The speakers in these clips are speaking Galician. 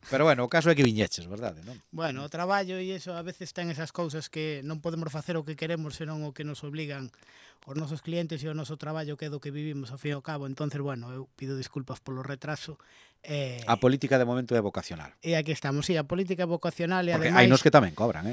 Pero bueno, o caso é que viñeches, verdade, non? Bueno, o traballo e iso a veces ten esas cousas que non podemos facer o que queremos, senón o que nos obligan os nosos clientes e o noso traballo que é do que vivimos ao fin e ao cabo. Entonces, bueno, eu pido disculpas polo retraso. A política de momento é vocacional. E aquí estamos, sí, a política vocacional e Porque hai nos ademais, que tamén cobran,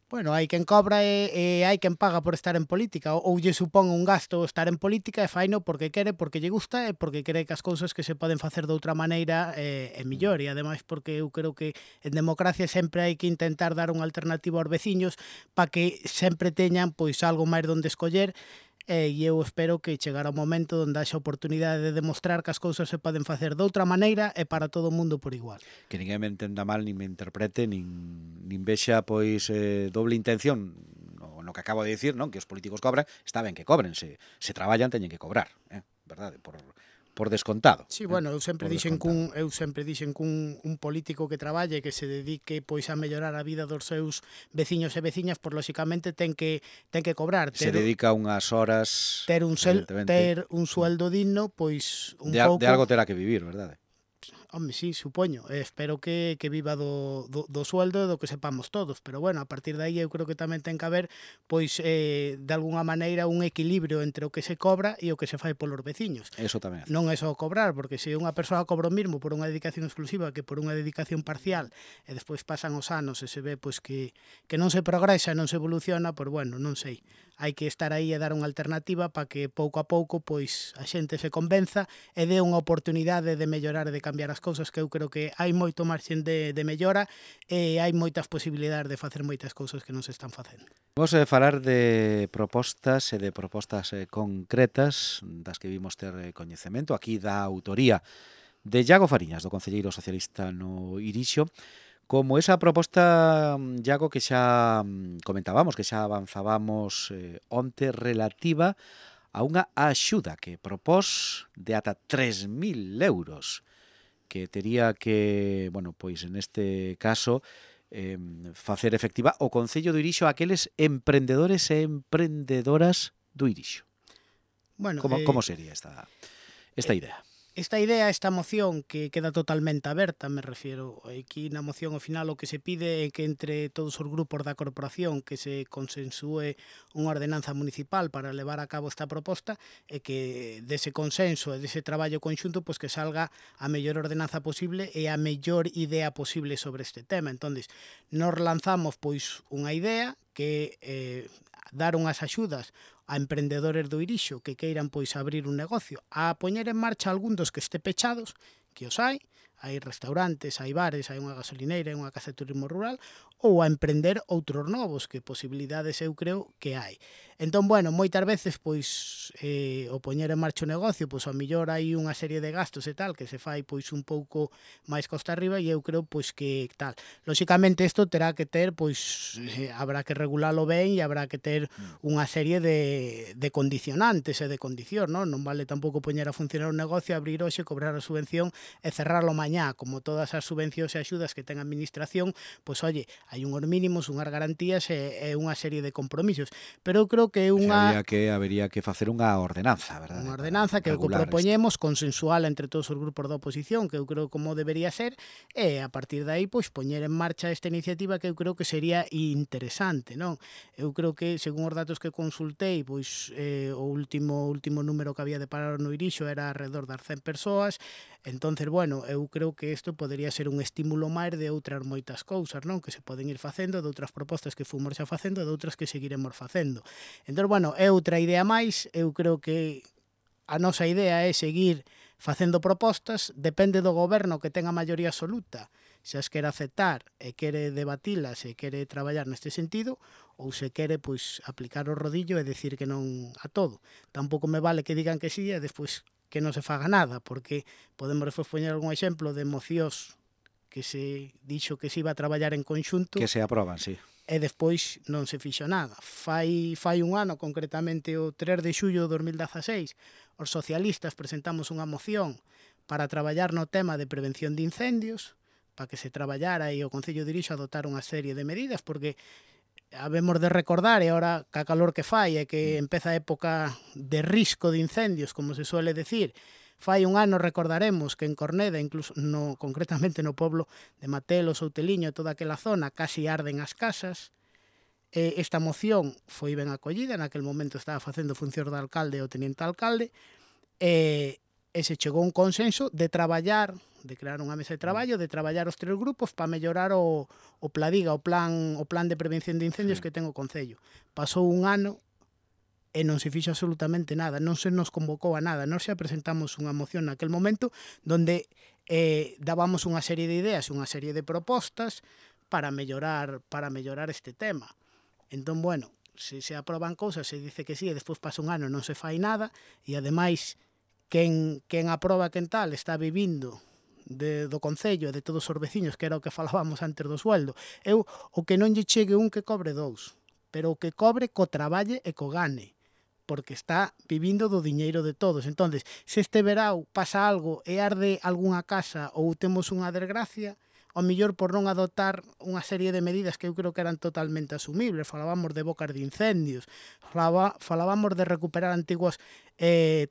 bueno, hai quen cobra e hai quen paga por estar en política, ou lle supón un gasto estar en política e faino porque quere, porque lle gusta e porque cree que as cousas que se poden facer de outra maneira é millor, e ademais porque eu creo que en democracia sempre hai que intentar dar unha alternativa aos veciños para que sempre teñan pois algo máis donde escoller. E eu espero que chegará o momento onde haxa oportunidade de demostrar que as cousas se poden facer de outra maneira e para todo o mundo por igual. Que ninguén me entenda mal, nin me interprete, nin vexa pois doble intención no que acabo de dicir, non? Que os políticos cobran, está ben que cobren, se traballan teñen que cobrar, verdade? Por descontado. Sí, bueno, eu sempre Por dixen descontado. un político que traballe, que se dedique pois a mellorar a vida dos seus veciños e veciñas, por lóxicamente ten que cobrar, Se dedica unhas horas, evidentemente, ter un sueldo digno, pois un de pouco. algo terá que vivir, verdade? Home, sí, supoño. Espero que viva do sueldo e do que sepamos todos. Pero bueno, a partir de aí eu creo que tamén ten que haber, pois, de alguna maneira, un equilibrio entre o que se cobra e o que se fai polos veciños. Eso tamén é certo. Non é só cobrar, porque se unha persoa cobra o mismo por unha dedicación exclusiva que por unha dedicación parcial e despois pasan os anos e se ve pois que non se progresa e non se evoluciona, pois bueno, non sei. Hai que estar aí e dar unha alternativa para que pouco a pouco pois a xente se convenza e dé unha oportunidade de mellorar e de cambiar as cousas, que eu creo que hai moito marxen de mellora e hai moitas posibilidades de facer moitas cousas que non se están facendo. Vamos a falar de propostas e de propostas concretas das que vimos ter coñecemento aquí da autoría de Iago Fariñas, do concelleiro socialista no Irixo, como esa proposta, Iago, que xa comentábamos, que xa avanzábamos onte, relativa a unha axuda que propós de ata 3.000 euros que tería que, bueno, pois en este caso facer efectiva o Concello do Irixo a aqueles emprendedores e emprendedoras do Irixo. Bueno, Como sería esta idea? Esta idea, esta moción que queda totalmente aberta, me refiero, aquí na moción ao final o que se pide é que entre todos os grupos da corporación que se consensúe unha ordenanza municipal para levar a cabo esta proposta e que dese consenso e dese traballo conxunto pois que salga a mellor ordenanza posible e a mellor idea posible sobre este tema. Entonces, nos lanzamos pois unha idea que dar unhas axudas a emprendedores do Irixo que queiran pois abrir un negocio, a poñer en marcha algún dos que este pechados, que os hai restaurantes, hai bares, hai unha gasolineira, hai unha casa de turismo rural, ou a emprender outros novos, que posibilidades eu creo que hai. Entón, bueno, moitas veces, pois, o poñer en marcha o negocio, pois, ao millor hai unha serie de gastos e tal, que se fai, pois, un pouco máis costa arriba, e eu creo, pois, que tal. Lóxicamente, isto terá que ter, pois, habrá que regulalo ben e habrá que ter unha serie de condicionantes e de condicións, non? Non vale tampouco poñer a funcionar un negocio, abrir hoxe, cobrar a subvención e cerrarlo mañá, como todas as subvencións e axudas que ten a administración, pois, oye, hai unhos mínimos, unhas garantías e unha serie de compromisos. Pero eu creo que é unha... Habería que facer unha ordenanza, verdade? Unha ordenanza que é o que propoñemos, consensual entre todos os grupos da oposición, que eu creo como debería ser, e a partir de aí, pois, poñer en marcha esta iniciativa que eu creo que sería interesante, non? Eu creo que, según os datos que consultei, pois, o último número que había de parar no Irixo era alrededor das 100 persoas. Entonces, bueno, eu creo que isto podería ser un estímulo máis de outras moitas cousas, non? Que se poden ir facendo, de outras propostas que fomos xa facendo, de outras que seguiremos facendo. Entón, bueno, é outra idea máis. Eu creo que a nosa idea é seguir facendo propostas, depende do goberno que ten a maioría absoluta, se as quere aceptar e quere debatilas e quere traballar neste sentido, ou se quere, pois, aplicar o rodillo e decir que non a todo. Tampouco me vale que digan que sí e despois que non se faga nada, porque podemos despois poñer algún exemplo de mocións que se dixo que se iba a traballar en conxunto que se aproban, sí, e despois non se fixo nada. Fai un ano, concretamente o 3 de xullo de 2016, os socialistas presentamos unha moción para traballar no tema de prevención de incendios, para que se traballara e o Concello de Irixo adoptar unha serie de medidas, porque habemos de recordar, e ahora ca calor que fai, é que empeza a época de risco de incendios, como se suele decir, Fai un ano recordaremos que en Corneda, incluso concretamente no pueblo de Matelo, Souteliño, toda aquela zona, casi arden as casas. Esta moción foi ben acollida, naquel momento estaba facendo funcións de alcalde o teniente alcalde, e se chegou a un consenso de traballar, de crear unha mesa de traballo, de traballar os 3 grupos para mellorar o Pladiga, o plan de prevención de incendios que ten o Concello. Pasou un ano e non se fixo absolutamente nada, non se nos convocou a nada. Nós xa presentamos unha moción naquel momento donde dábamos unha serie de ideas, unha serie de propostas para mellorar este tema. Entón, bueno, se aproban cousas, se dice que sí, e despois pasa un ano non se fai nada, e ademais quen aproba quen tal está vivindo do Concello e de todos os veciños, que era o que falábamos antes do sueldo. Eu, o que non lle chegue un que cobre 2, pero o que cobre co traballe e co gane, porque está vivindo do diñeiro de todos. Entonces, se este verao pasa algo e arde algunha casa ou temos unha desgracia, ao mellor por non adoptar unha serie de medidas que eu creo que eran totalmente asumibles. Falábamos de bocas de incendios, falábamos de recuperar antigos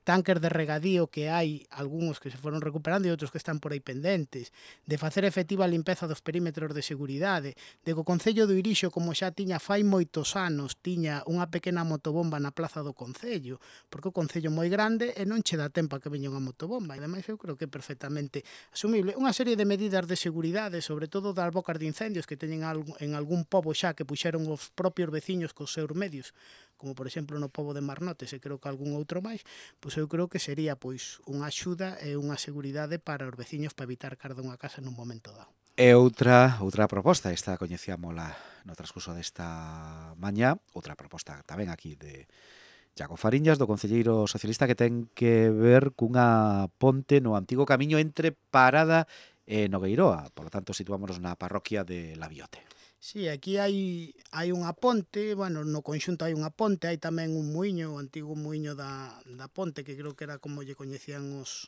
tanques de regadío que hai, algúns que se foron recuperando e outros que están por aí pendentes, de facer efectiva a limpeza dos perímetros de seguridade, de que o Concello do Irixo, como xa tiña fai moitos anos, tiña unha pequena motobomba na plaza do Concello, porque o Concello é moi grande e non che dá tempo a que veña unha motobomba, e ademais eu creo que é perfectamente asumible. Unha serie de medidas de seguridade, sobre todo das bocas de incendios que teñen en algún pobo xa que puxeron os propios veciños cos seus medios, como por exemplo no pobo de Marnotes e creo que algún outro máis, pois eu creo que sería pois unha axuda e unha seguridade para os veciños para evitar que arda unha casa nun momento dado. E outra proposta, esta coñecíamola no transcurso desta mañá, outra proposta tamén aquí de Iago Fariñas, do concelleiro socialista, que ten que ver cunha ponte no antigo camiño entre Parada e Nogueiroa. Por lo tanto, situámonos na parroquia de Labiote. Sí, aquí hai unha ponte, bueno, no conxunto hai unha ponte, hai tamén un muiño, o antigo muiño da ponte, que creo que era como lle coñecían os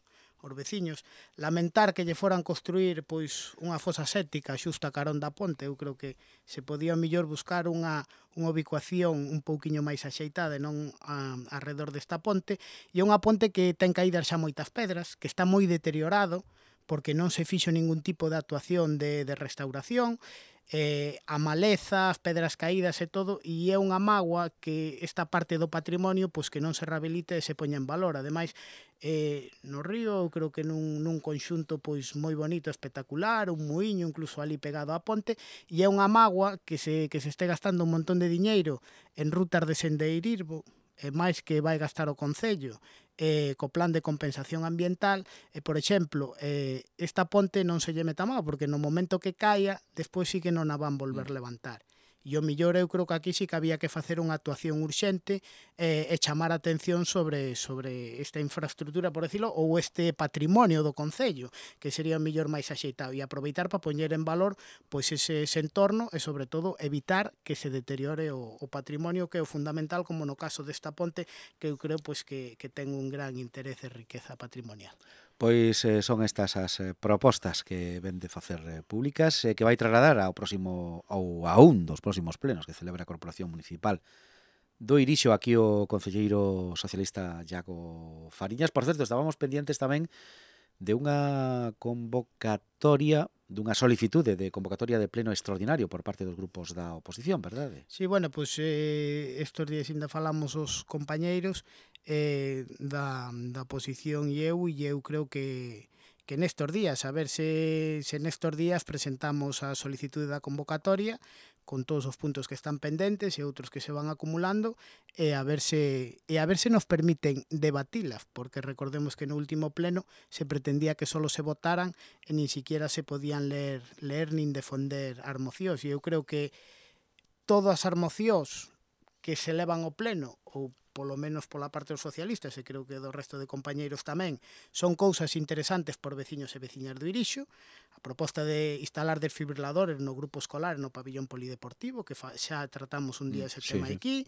veciños. Lamentar que lle foran construir pois unha fosa séptica xusto a carón da ponte. Eu creo que se podía mellor buscar unha ubicuación un pouquiño máis axeitada e non alrededor desta ponte. E unha ponte que ten caídas xa moitas pedras, que está moi deteriorado, porque non se fixo ningún tipo de actuación de restauración, a maleza, as pedras caídas e todo, e é unha mágoa que esta parte do patrimonio pois que non se rehabilite e se poña en valor. Ademais, no río, eu creo que nun conxunto pois moi bonito, espectacular, un muiño incluso ali pegado á ponte, e é unha mágoa que se este gastando un montón de diñeiro en rutas de sendeirismo, e máis que vai gastar o Concello, co plan de compensación ambiental, e, por exemplo, esta ponte non se lle meta mal, porque no momento que caia, despois sí que non a van volver levantar. E o millor eu creo que aquí sí que había que facer unha actuación urxente e chamar a atención sobre esta infraestructura, por decirlo, ou este patrimonio do Concello, que sería o millor máis axeitado, e aproveitar para poñer en valor pois ese entorno e, sobre todo, evitar que se deteriore o patrimonio, que é o fundamental, como no caso desta ponte, que eu creo pois que ten un gran interés e riqueza patrimonial. Pois son estas as propostas que ven de facer públicas, que vai trasladar ao próximo ou a un dos próximos plenos que celebra a Corporación Municipal do Irixo, aquí o concelleiro socialista Iago Fariñas. Por certo, estábamos pendientes tamén de unha convocatoria, dunha solicitude de convocatoria de pleno extraordinario por parte dos grupos da oposición, verdade? Sí, bueno, pois estes días ainda falamos os compañeiros da oposición e eu creo que nestes días, a ver se nestes días presentamos a solicitude da convocatoria con todos os puntos que están pendentes e outros que se van acumulando e a ver se nos permiten debatilas, porque recordemos que no último pleno se pretendía que solo se votaran e nin siquiera se podían ler nin defender as mocións, e eu creo que todas as mocións que se levan ao pleno, ou polo menos pola parte dos socialistas, e creo que do resto de compañeiros tamén, son cousas interesantes por veciños e veciñas do Irixo. A proposta de instalar desfibriladores no grupo escolar no pabillón polideportivo, que xa tratamos un día ese tema aquí,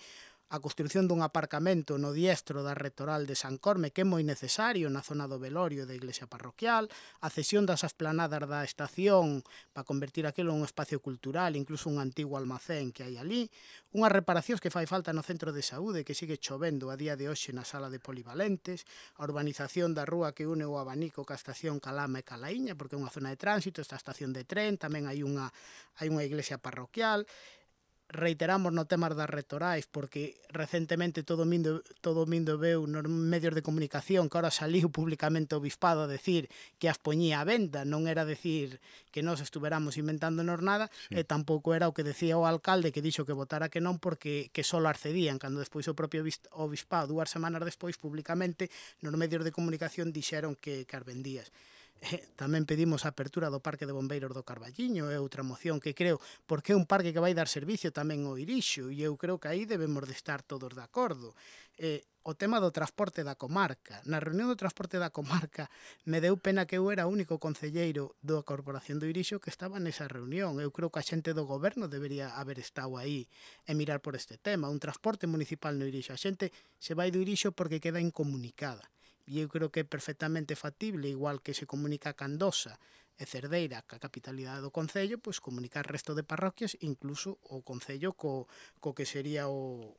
a construción dun aparcamento no diestro da Rectoral de San Corme, que é moi necesario na zona do velorio da iglesia parroquial, a cesión das esplanadas da estación para convertir aquilo en un espacio cultural, incluso un antigo almacén que hai ali, unhas reparacións que fai falta no centro de saúde, que sigue chovendo a día de hoxe na sala de polivalentes, a urbanización da rúa que une o Abanico ca estación Calama e Calaíña, porque é unha zona de tránsito, esta estación de tren, tamén hai unha iglesia parroquial. Reiteramos no tema das rectorais, porque recentemente todo o mundo veu nos medios de comunicación que ahora saliu públicamente o bispado a decir que as poñía a venda, non era decir que nós estuveramos inventándonos nada, Sí. e tampouco era o que decía o alcalde, que dixo que votara que non porque que só as cedían, cando despois o propio bispado 2 semanas despois públicamente nos medios de comunicación dixeron que as vendías. Tamén pedimos a apertura do Parque de Bombeiros do Carballiño, é outra moción que creo, porque é un parque que vai dar servicio tamén ao Irixo, e eu creo que aí debemos de estar todos de acordo. O tema do transporte da comarca. Na reunión do transporte da comarca me deu pena que eu era o único concelleiro da Corporación do Irixo que estaba nesa reunión. Eu creo que a xente do goberno debería haber estado aí e mirar por este tema. Un transporte municipal no Irixo. A xente se vai do Irixo porque queda incomunicada. E eu creo que é perfectamente factible, igual que se comunica a Candosa e Cerdeira, ca capitalidade do Concello, pois comunicar o resto de parroquias, incluso o Concello co que sería o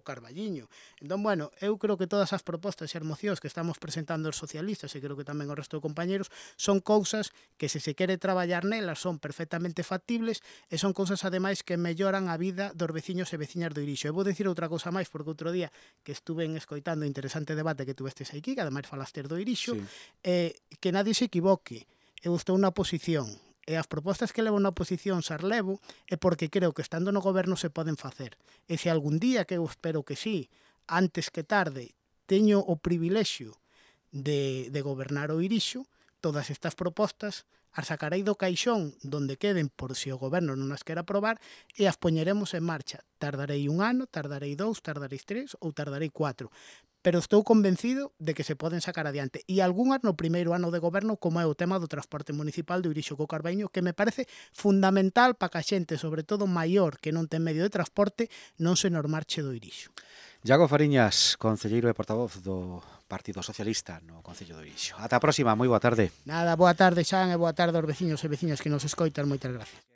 Carballiño. Entón, bueno, eu creo que todas as propostas e as mocións que estamos presentando os socialistas, e creo que tamén o resto de compañeros, son cousas que se quere traballar nelas son perfectamente factibles e son cousas, ademais, que melloran a vida dos veciños e veciñas do Irixo. E vou dicir outra cousa máis, porque outro día que estuve escoitando o interesante debate que tuvestes aquí, que ademais falastes do Irixo, Sí. que nadie se equivoque. Eu estou na oposición, e as propostas que levo na oposición as levo é porque creo que estando no goberno se poden facer. E se algún día, que eu espero que sí, antes que tarde, teño o privilexio de gobernar o Irixo, todas estas propostas as sacarei do caixón donde queden por se o goberno non as quer aprobar e as poñeremos en marcha. Tardarei 1 ano, tardarei 2, tardarei 3 ou tardarei 4. Pero estou convencido de que se poden sacar adiante. E algunhas no primeiro ano de goberno, como é o tema do transporte municipal do Irixo co Carballiño, que me parece fundamental para que a xente, sobre todo maior, que non ten medio de transporte, non se nos marche do Irixo. Iago Fariñas, concelleiro e portavoz do Partido Socialista no Concello do Irixo. Ata a próxima, moi boa tarde. Nada, boa tarde, Xan, e boa tarde aos veciños e veciñas que nos escoitan. Moitas gracias.